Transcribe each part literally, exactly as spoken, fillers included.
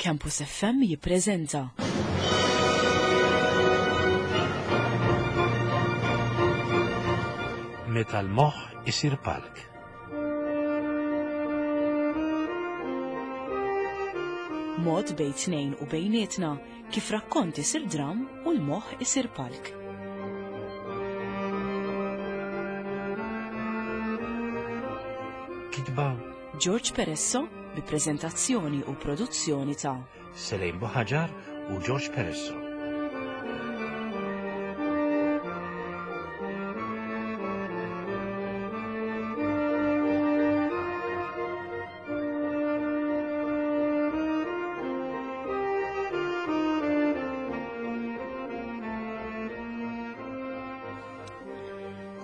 Campus F M jippreżenta Meta l-moħħ isir palk. Mod bejn tnejn u bejnietna kif rakkont isir dram u l-moħħ isir palk. Kitba George Peresso bi preżentazzjoni u produzzjoni ta' Selejn Buħaġar u George Peresso.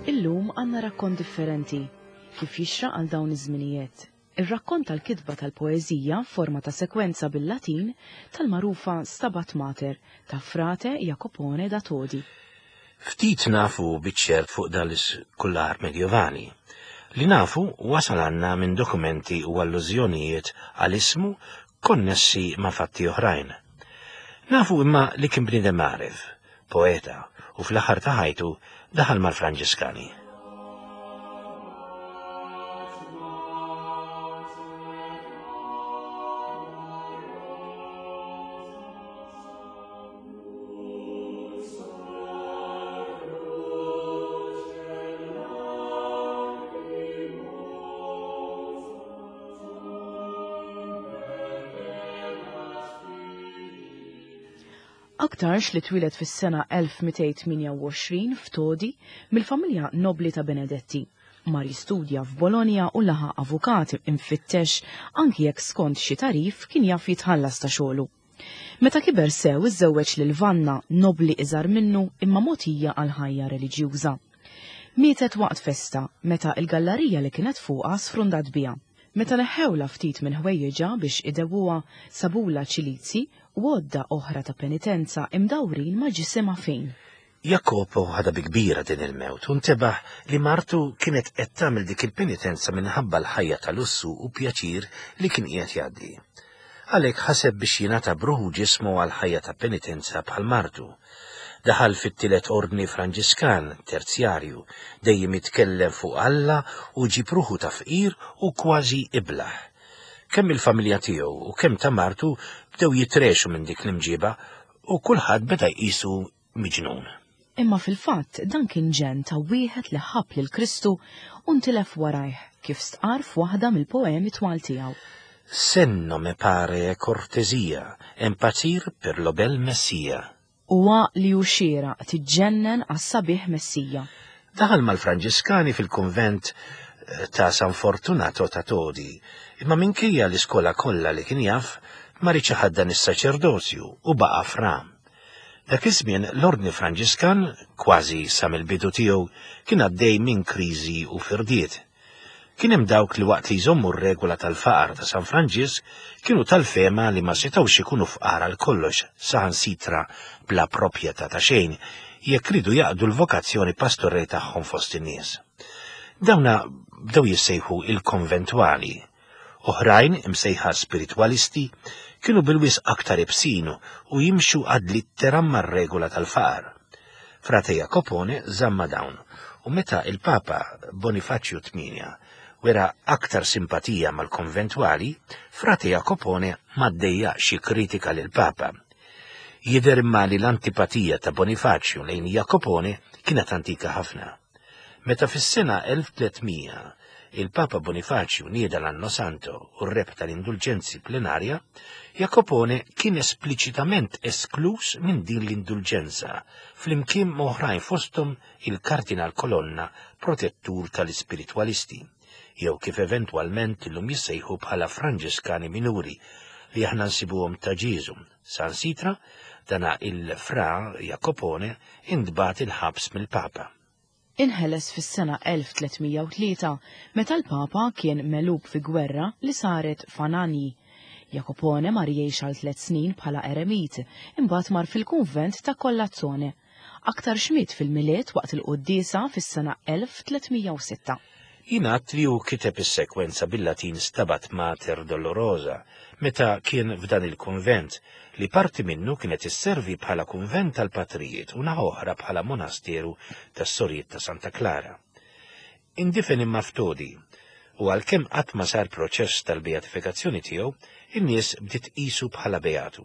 Illum għandna rakkont differenti kif jixraq għal dawn iż-żminijiet. Ir-rakkont tal-kitba tal-poeżija forma ta' sekwenza bil-Latin tal-magħrufa Stabat Mater ta' Frate Jacopone da Todi. Ftit nafu biċ-ċert fuq dan l-iskullar medjovali. Li nafu wasal għandna minn dokumenti u allużjonijiet għal ismu konnessi ma' fatti oħrajn. Nafu imma li kien bniedem għaref, poeta, u fl-aħħar ta' ħajtu daħal mal-Franġiskani. Aktarx li twieled fis-sena elf mitejn tmienja u għoxrin f'Todi mill-familja nobli ta' Benedetti. Mar jistudja f'Bologna u laħaq avukat imfittex anki jekk skont xi tarif kien jaf jitħallas ta' xogħlu. Meta kiber sew iżżewweġ lil Vanna, nobli iżgħar minnu imma mogħtija għal ħajja reliġjuża. Mietet waqt festa meta il-gallarija li kienet fuqha sfrundat biha. Meta neħħewla ftit minn ħwejjeġha biex idewwuha sabula ċilizzi u għodda oħra ta' penitenza imdawrin ma' ġisimha fejn. Jacopo ħadha bi kbira din il-mewt u ntebaħ li martu kienet qed tagħmel dik il-penitenza minħabba l-ħajja ta' lussu u pjaċir li kien qiegħed jgħaddi. Għalhekk ħaseb biex jingħata bruħu ġismu għal ħajja ta' penitenza bħal martu. Daħal fit-tielet ordni Franġiskan, terzjarju, dejjem jitkellem fuq Alla u ġib ruħu ta' fqir u kważi iblaħ. Kemm il-familja tiegħu u kemm ta' martu bdew jitrexu minn dik l-imġiba u kulħadd beda jqisu miġnun. Imma fil-fatt dan kien ġenn ta' wieħed li ħabb lil Kristu u ntilef warajh kif stqarr f'waħda mill-poemi twal tiegħu. Senno me pare cortesia, impazzir per lo bel Messia. Huwa li hu xieraq tiġġennen għas-sabiħ Messija. Daħal mal-Franġiskani fil-kunvent eh, ta' San Fortunato ta' Todi, imma minkejja l-iskola kollha li kien jaf, ma riedx iħaddan is-saċerdozju u baqa' fra. Dak iż-żmien l-Ordni Franġiskan, kważi sa mill-bidu tiegħu, kien għaddej minn kriżi u firdiet. Kien hemm dawk li waqt li jżommu r-regola tal-faqar ta' San Franġisk kienu tal-fehma li ma setgħux ikunu fqar għal kollox saħansitra bla proprjetà ta' xejn jekk ridu jaqdu l-vokazzjoni pastorali tagħhom fost in-nies. Dawna bdew jissejħu il-konventwali. Oħrajn imsejħa spiritwalisti kienu bil-wisq aktar ibsin u jimxu ad litteram mar-regola tal-faqar. Frate Jacopone żamma dawn u meta il-Papa Bonifaċju tmienja wera aktar simpatija mal-konventwali, Frate Jacopone ma ddejjaqx jikkritika lil Papa. Jidher imma li l-antipatija ta' Bonifaċju lejn Jacopone kienet antika ħafna. Meta fis-sena elf tliet mija il-Papa Bonifaċju nieda l-Anno Santo u r-rebħ tal-indulġenzi plenarja, Jacopone kien espliċitament esklus minn din l-indulġenza, flimkien ma' oħrajn fosthom il-Kardinal Colonna, protettur tal-ispiritwalisti, jew kif eventwalment illum jissejħu bħala Franġiskani minuri li aħna nsibuhom ta' Ġieżu. Saħansitra, dana il-Fra Jacopone intbagħat il-ħabs mill-Papa. Inħeles fis-sena elf tliet mija u tlieta meta l-Papa kien megħlub fi gwerra li saret f'Anagni. Jacopone mar jgħix għal tliet snin bħala eremit, imbagħad mar fil-kunvent ta' Collazzone. Aktarx miet fil-Milied waqt il-quddiesa fis-sena elf tliet mija u sitta. Jingħad li hu kiteb is-sekwenza bil-Latin Stabat Mater Dolorosa meta kien f'dan il-kunvent li parti minnu kienet isservi bħala kunvent tal-patrijiet u naħa oħra bħala monasteru tas-sorijiet ta' Santa Klara. Indifen imma f'Todi u għalkemm qatt ma sar proċess tal-beatifikazzjoni tiegħu, in-nies bdiet tqisu bħala beatu.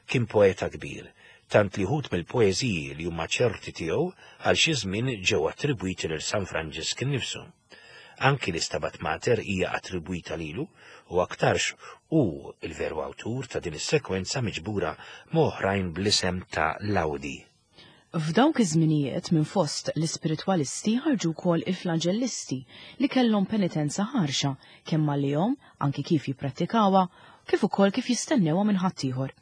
Kien poeta kbir, tant li wħud mill-poeżiji li huma ċerti tiegħu għal xi żmien ġew attribwiti lil San Franġisk innifsu. Anki l-Istabat Mater hija attribwita lilu u aktarx hu il-veru awtur ta' din is-sekwenza miġbura m'oħrajn bl-isem ta' Laudi. F'dawk iż-żminijiet minn fost l-ispiritwalisti ħarġu wkoll il-flagellisti li kellhom penitenza ħarxa kemm għalihom anki kif jipprattikawha kif ukoll kif jistennewha minn ħaddieħor.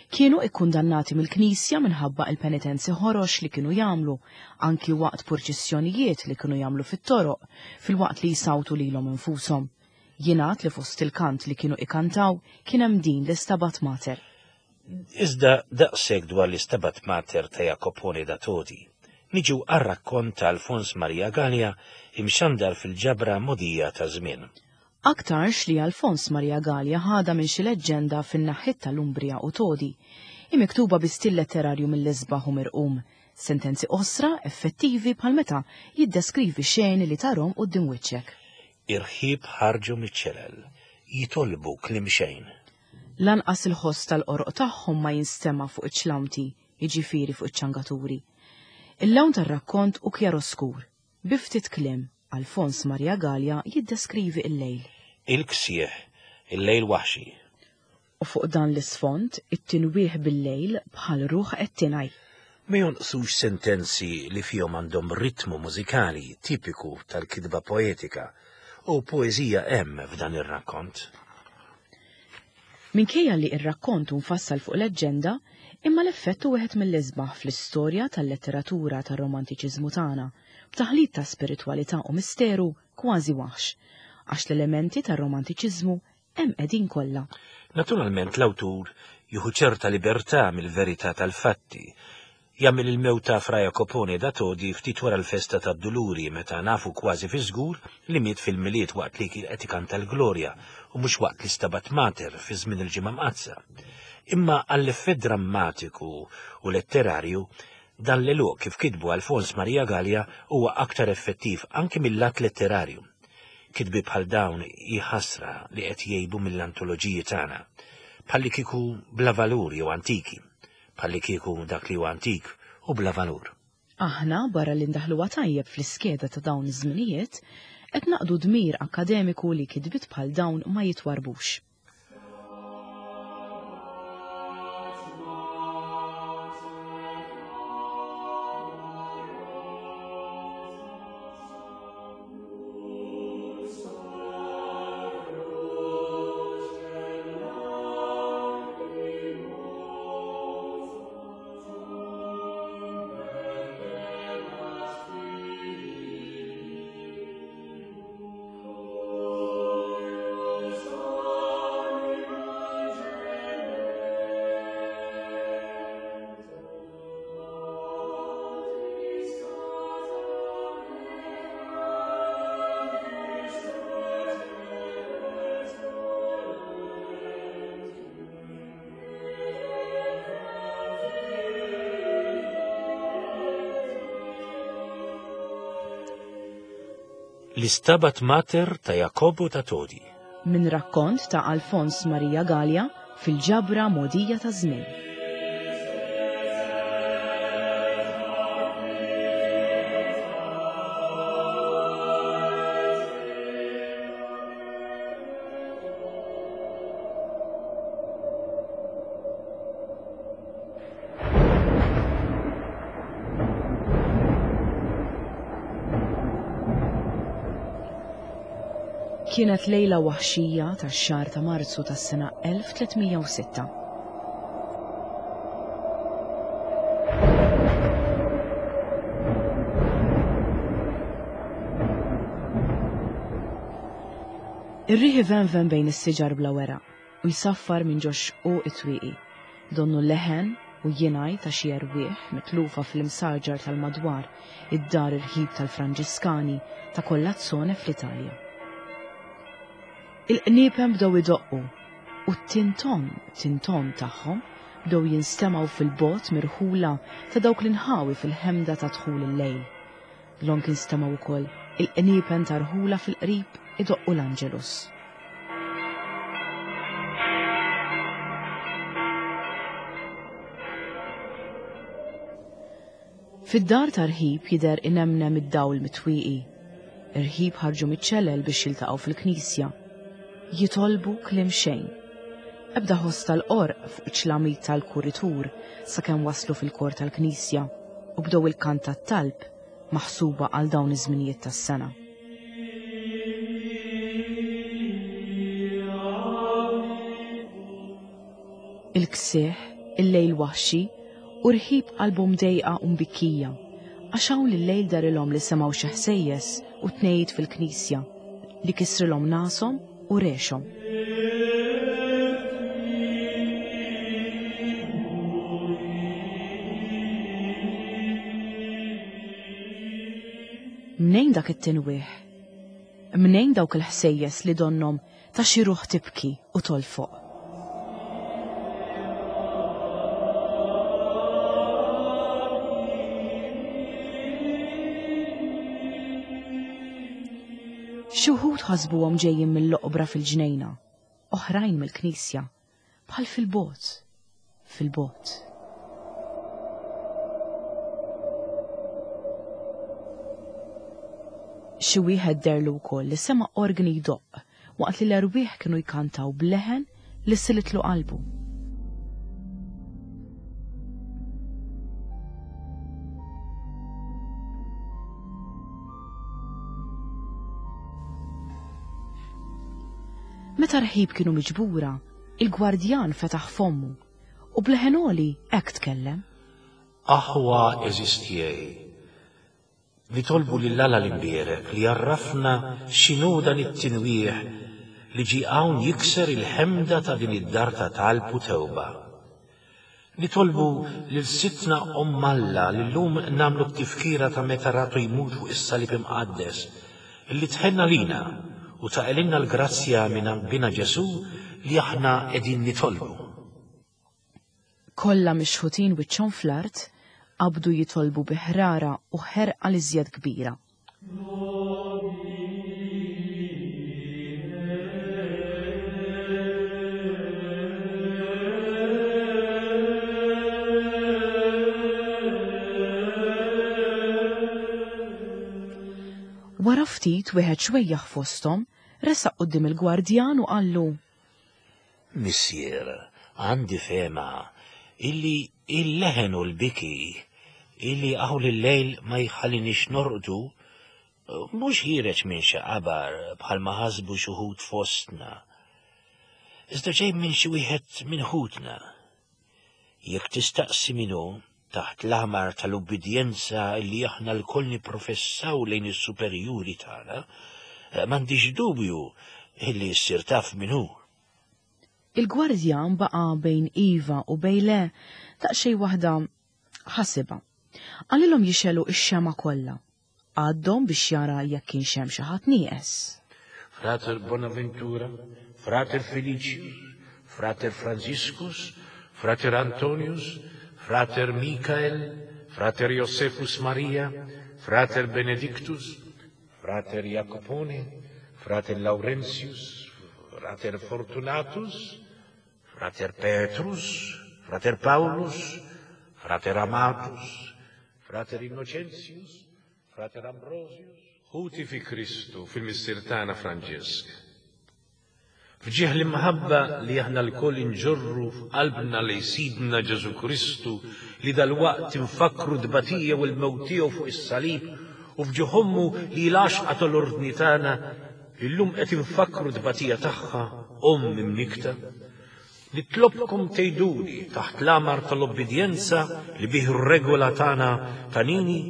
Kienu ikkundannati mill-Knisja minħabba il-penitenzi ħorox li kienu jagħmlu, anki waqt purċissjonijiet li kienu jagħmlu fit-toroq, filwaqt li jsawtu lilhom infushom. Jingħad li fost il-kant li kienu ikantaw kien hemm din l-Istabat Mater. Iżda daqshekk dwar l-Istabat Mater ta' Jacopone da Todi. Niġu għar-rakkont ta' Alfons Maria Galea imxandar fil-ġabra Mogħdija ta' Żmien. Aktarx li Alfons Maria Galea ħada minn xi leġġenda fin-naħħiet tal-Umbria u Todi, imiktuba bi stil letterarju mill-isbaħ u mirqum, sentenzi qosra effettivi bħal meta jiddeskrivi xeni li tarhom quddiem wiċċek. Irħib ħarġu miċ-ċelel, jitolbu kliem xejn. Lanqas il-ħoss tal-qoroq tagħhom ma jinstema' fuq iċ-ċlamti, jiġifieri fuq iċ-ċangaturi. Il-lawn tar-rakkont hu kjaroskur, bi ftit kliem Alfons Maria Galea jiddeskrivi il-lejl. Il-ksieħ, il-lejl waħxi. U fuq dan l-isfond, it-tinwieħ bil-lejl bħal ruħ qed tingħaj. Ma jonqsux sentenzi li fihom għandhom ritmu mużikali tipiku tal-kitba poetika u poeżija hemm f'dan ir-rakkont. Minkejja li r-rakkont hu mfassal fuq leġġenda, imma l-effett hu wieħed mill-isbaħ fl-istorja tal-letteratura tar-romantiċiżmu tagħna, b'taħlit ta' spiritwalità u misteru kważi waħx, għax l-elementi tar-romantiċiżmu hemm qegħdin kollha. Naturalment l-awtur jieħu ċerta libertà mill-verità tal-fatti. Jagħmel il-mewt ta' Fra Jacopone da Todi ftit wara l-festa tad-Duluri meta nafu kważi fi żgur li miet fil-Milied waqt li kien qed ikanta l-Glorja u mhux waqt li Stabat Mater fi żmien il-Ġimgħa Mqaddsa. Imma għall-effett drammatiku u letterarju dan l-eluq kif kitbu Alfons Maria Galea huwa aktar effettiv anki mill-lat letterarju. Kitbi bħal dawn hi ħasra li qed jgħibu mill-antoloġiji tagħna, bħalli kieku bla valur jew antiki, bħalli kieku dak li huwa antik u bla valur. Aħna barra li ndaħluha tajjeb fl-iskeda ta' dawn iż-żminijiet, qed naqdu dmir akkademiku li kitbiet bħal dawn ma jitwarbux. L-Istabat Mater ta' Jacopo ta' Todi. Minn rakkont ta' Alfons Maria Galea fil-ġabra Mogħdija ta' Żmien. Kienet lejla waħxija tax-xahar ta' Marzu tas-sena elf tliet mija u sitta. Ir-riħ ivenven bejn is-siġar bla weraq u jsaffar minn ġox u it-twieqi. Donnu leħen u jingħi ta' xi erwieħ mitlufa fl-imsaġar tal-madwar id-dar irħib tal-Franġiskani ta' Collazzone fl-Italja. Il-qniepen bdew idoqqu u t-tinton tinton tagħhom bdew jinstemgħu fil-bogħod mirħula ta' dawk l-inħawi fil-ħemda ta' dħul il-lejl. Dlonk instemgħu wkoll il-qniepen ta' rħula fil-qrib idoqqu l-Angelus. Fid-dar ta' rħib jidher inemnem id-dawl mitwieqi. Irħib ħarġu miċ-ċelel biex jiltaqgħu fil-knisja. Jitolbu kliem xejn. Ebda ħoss tal-qorq fuq iċ-ċlamit tal-kuritur sakemm waslu fil-kor tal-knisja u bdew il-kant tat-talb maħsuba għal dawn iż-żminijiet tas-sena. Il-ksieħ, il-lejl waħxi, u rħib qalbhom dejqa u mbikkija, għax hawn lil-lejl darilhom li semgħu xi ħsejjes u tnejjid fil-knisja li kisrilhom nashom u rexhom. Mnejn dak it-tinwieħ? Mnejn dawk il-ħsejjes li donhom ta' xi ruħ tibki u tolfoq? Xi wħud ħasbuhom ġejjin mill-oqbra fil-ġnejna, oħrajn mill-knisja, bħal fil-bogħod, fil-bogħod. Xi wieħed derlu wkoll li sema' organi jdoqq waqt li l-erwieħ kienu jkantaw b'leħen li silitlu qalbu. Meta rħib kienu miġbura, il-gwardjan fetaħ fommu u b'leħen għoli hekk tkellem. Aħwa għeżież tiegħi, nitolbu lil Alla l-imbierek li jarrafna x'inhu dan it-tinwieħ li ġie hawn jikser il-ħemda ta' din id-dar ta' talb u tewba. Nitolbu lil Sidtna Omm Alla li llum nagħmlu t-tifkira ta' meta ratu jmut fuq is-salib imqaddes, li tħenna lina u taqililna l-grazzja minn għand Bina Ġesù li aħna qegħdin nitolbu. Kollha mixħutin wiċċhom fl-art, qabdu jitolbu bi ħrara u ħerqa l-iżjed kbira. Wara ftit wieħed xwejjaħ fosthom resaq quddiem il-gwardjan u qallu: Missier, għandi fehma illi il-leħen u l-biki illi hawn il-lejl ma jħallinix norqdu mhux ħiereġ minn xi qabar bħalma ħasbu xi wħud fostna, iżda ġej minn xi wieħed minn ħutna. Jekk tistaqsi min hu, taħt l-aħmar tal-ubbidjenza li aħna lkoll nipprofessaw lejn is-superjuri tagħna, m'għandix dubju illi ssir taf min hu. Il-gwardjan baqa' bejn iva u bejn le daqsxejn waħda ħasibha. Qalilhom jixelu x-xema kollha. Għaddhom biex jara jekk kienx hemm xi ħadd nieqes. Frater Bonaventura, Frater Felicius, Frater Franciscus, Frater Antonius, Frater Michael, Frater Josephus Maria, Frater Benedictus, Frater Jacopone, Frater Laurentius, Frater Fortunatus, Frater Petrus, Frater Paulus, Frater Amatus, Frater Innocentius, Frater Ambrosius. Ħuti fi Kristu, fil-Missier tagħna Franġisk. Fġieħ l-imħabba li aħna lkoll inġorru f'qalbna li Sidna Ġesù Kristu li dalwaqt infakkru t-tbatija u l-mewt tiegħu fuq is-salib, u fġieħ ommu li l-għaxqa tal-ordni tagħna illum qed infakkru t-tbatija tagħha, omm imnikta. Nitlobkom tgħiduli taħt l-amar tal-obbedjenza li bih ir-regola tagħna tanini,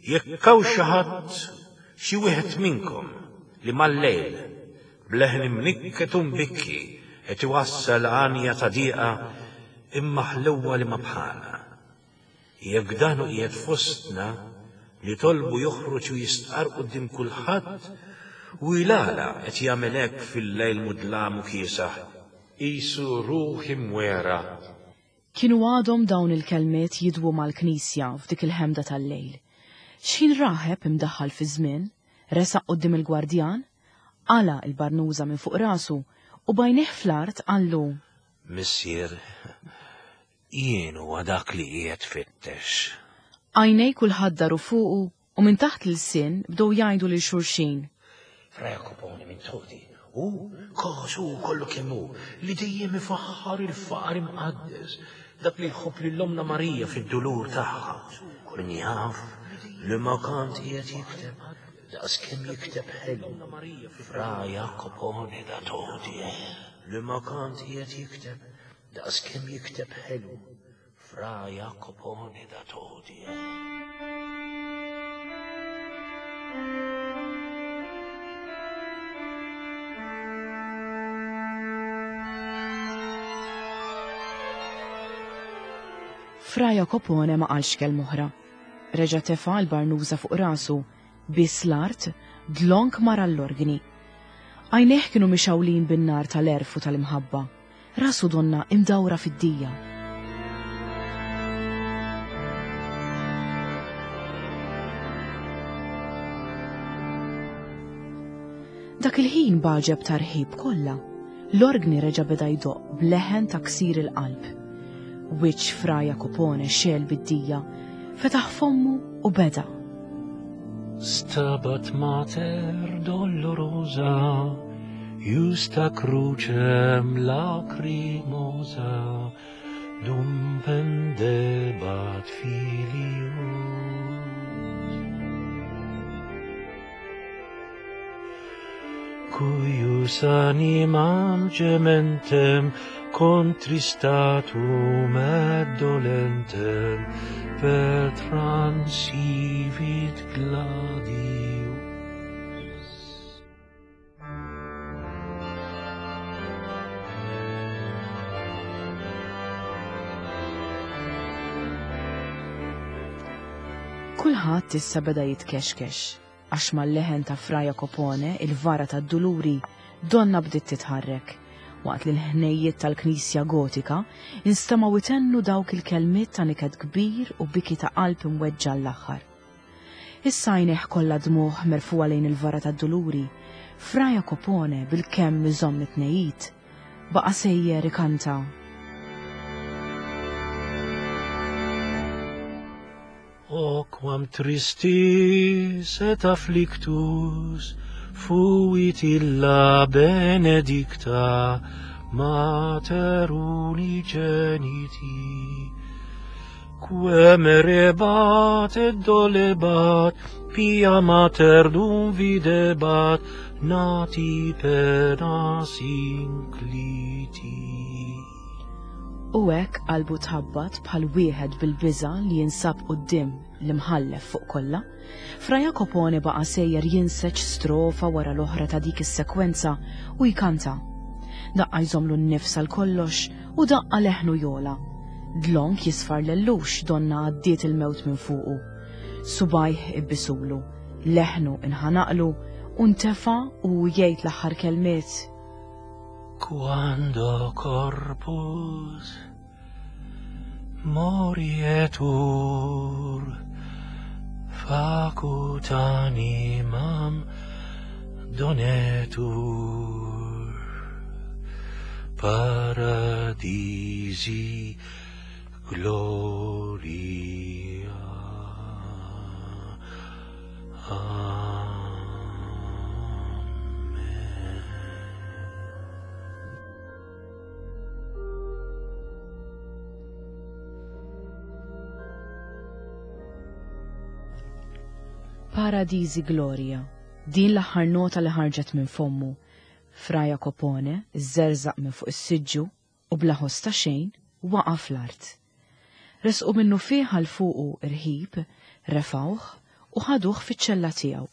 jekk hawn xi ħadd xi wieħed minnkom li mal-lejl bleħen imnikket u mbikki qed iwassal għanja ta' dieqa imma ħlewwa li ma bħalha. Jekk dan hu qiegħed fostna, nitolbu joħroġ u jistqarr quddiem kulħadd u jilgħala qed jagħmel hekk fil-lejl mudlam u kiesaħ, qisu ruħ imwera. Kienu għadhom dawn il-kelmiet jidwu mal-knisja f'dik il-ħemda tal-lejl. X'ħin raħeb imdaħħal fi żmien, resaq quddiem il-gwardjan, qala' il-barnuża minn fuq rasu u bajnih fl-art qallu: Missier, jien huwa dak li qiegħed fittex. Għajnej kulħadd daru fuqu u minn taħt l-ilsien bdew jgħidu lil xulxin. Fra Jacopone minn Todi, hu kos hu kollu kemm hu, li dejjem ifaħħar il-faqar imqaddes, dak li jħobb lil Ommna Marija fid-dulur tagħha. Min jaf li ma kant qiegħed jikteb daqs kemm jikteb ħelu. Fra Jacopone da Todi, li ma kant qiegħed jikteb daqs kemm jikteb ħelu. Fra Jacopone da Todi. Fra Jacopone ma qalx kelma oħra. Reġa' tefa' l-barnuża fuq rasu, biss l-art, dlonk mar għall-organi. Għajnejh kienu mixawlin bin-nar tal-għerf u tal-imħabba. Rasu donna imdawra fid-dija. Dak il-ħin baġeb tarħib kollha. L-organi reġa' beda jdoqq b'leħen ta' ksir il-qalb. Wiċċ Fra Jacopone xegħel bid-dija, fetaħ fommu u beda. Stabat mater dolorosa, justa crucem lacrimosa, dum pendebat filius. Cuius animam gementem contristatum et dolentem per transivit gladius. Kulħadd issa beda jitkexkex, għax mal-leħen ta' Fra Jacopone il-vara tad-duluri donna bdiet titħarrek, waqt li l-ħnejjiet tal-Knisja Gotika instemgħu itennu dawk il-kelmiet ta' niket kbir u biki ta' qalb imweġġa l-aħħar. Issa għajnejh kollha dmugħ merfugħa lejn il-vara tad-duluri, Fra Jacopone bil-kemm iżomm it-tnejjid, baqa' sejjer ikanta. O quam tristis et afflictus fuit illa benedicta mater unigeniti, quem rebat et dolebat, pia mater dum videbat, nati penas incliti. U hekk qalbu tħabbat bħal wieħed bil-biża' li jinsab quddiem l-imħallef fuq kollha, Fra Jacopone baqa' sejjer jinseġ strofa wara l-oħra ta' dik is-sekwenza u jkanta. Daqqa jżomlu n-nifs għal kollox u daqqa leħnu jola. Dlonk jisfar lellux donna għaddiet il-mewt minn fuqu. Subajh ibbisulu, leħnu inħanaqlu u ntefa' u jgħid l-aħħar kelmiet. Quando corpus morietur, facut animam donetur, paradisi gloria. Amen. Paradisi Gloria, din l-aħħar nota li ħarġet minn fommu. Fra Jacopone żerżaq minn fuq is-siġġu u bla ħoss ta' xejn waqa' fl-art. Resqu minnu fih għal fuqu irħib, refawh u ħaduh fiċ-ċella tiegħu.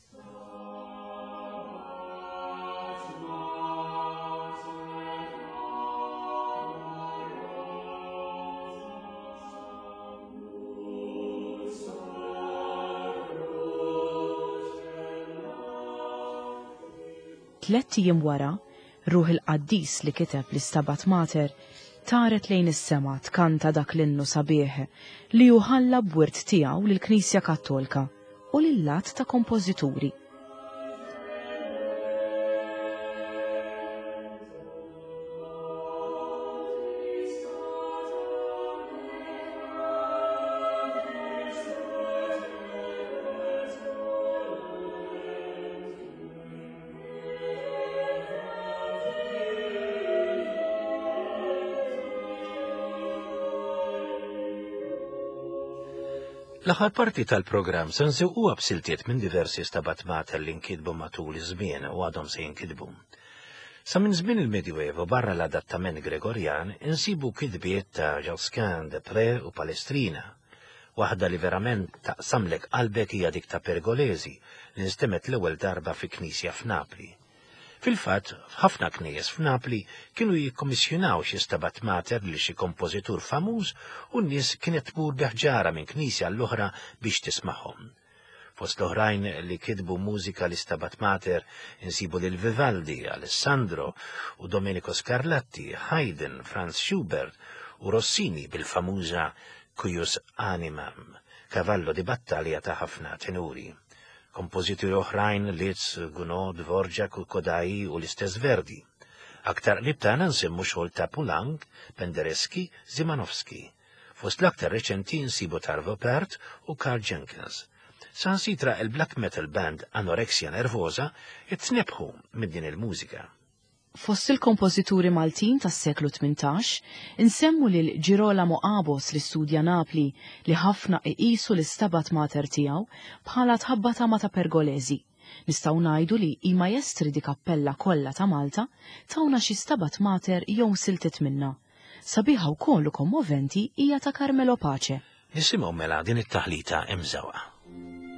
Tlett ijiem wara, ruħ il-qaddis li kiteb l-Istabat Mater taret lejn is-sema tkanta dak l-innu sabiħ li hu ħalla b'wirt tiegħu lill-Knisja Kattolika u lil-lat ta' kompożituri. L-aħħar parti tal-programm se nżewquha b'siltiet minn diversi Stabat Mater li nkitbu matul iż-żmien u għadhom se jinkitbu. Sa minn żmien il-Medjuevo barra l-adattament Gregorjan insibu kitbiet ta' Josquin, Desprez u Palestrina. Waħda li verament taqsamlek qalbek hija dik ta' Pergolesi li nstemet l-ewwel darba fi knisja f'Napli. Fil-fatt, f'ħafna knejjes f'Napli kienu jikkommissjonaw xi Stabat Mater li xi kompożitur famuż u n-nies kienet tmur biħġara minn knisja l-oħra biex tismagħhom. Fost l-oħrajn li kitbu mużika li Stabat Mater insibu lil Vivaldi, Alessandro u Domenico Scarlatti, Haydn, Franz Schubert u Rossini bil-famuża Cuius Animam, cavallo di battalja ta' ħafna tenuri. Kompożituri oħrajn Liszt, Gounod, Dvorak u Kodály u l-istess Verdi. Aktar qrib tagħna nsemmu xogħol ta' Poulenc, Penderecki, Szymanowski. Fost l-aktar reċenti nsibu Arvo Pärt u Karl Jenkins. Sansitra il-black metal band Anorexia Nervosa itnebħu minn din il-mużika. Fost il-kompożituri Maltin tas-seklu tmintax, insemmu lil Girolamo Abos li studja Napli li ħafna iqisu l-Istabat Mater tiegħu bħala tħabbata ma' ta' Pergolesi. Nistgħu ngħidu li i maestri di kappella kollha ta' Malta tawna xi Stabat Mater jew siltiet minna. Sabiħa wkoll u kommoventi hija ta' Carmelo Pace. Nisimgħu mela din it-taħlita imżewqa. Thank you.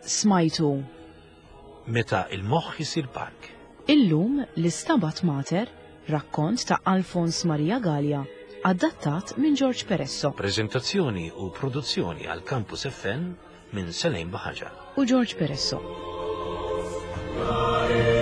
Smajtu Meta il-moħħ isir park. Illum l-Istabat Mater, rakkont ta' Alfons Maria Galea, adattat minn George Peresso Prezentazzjoni u produzzjoni għal Campus F M minn Selejn Baħaġa. U George Peresso. Gloria.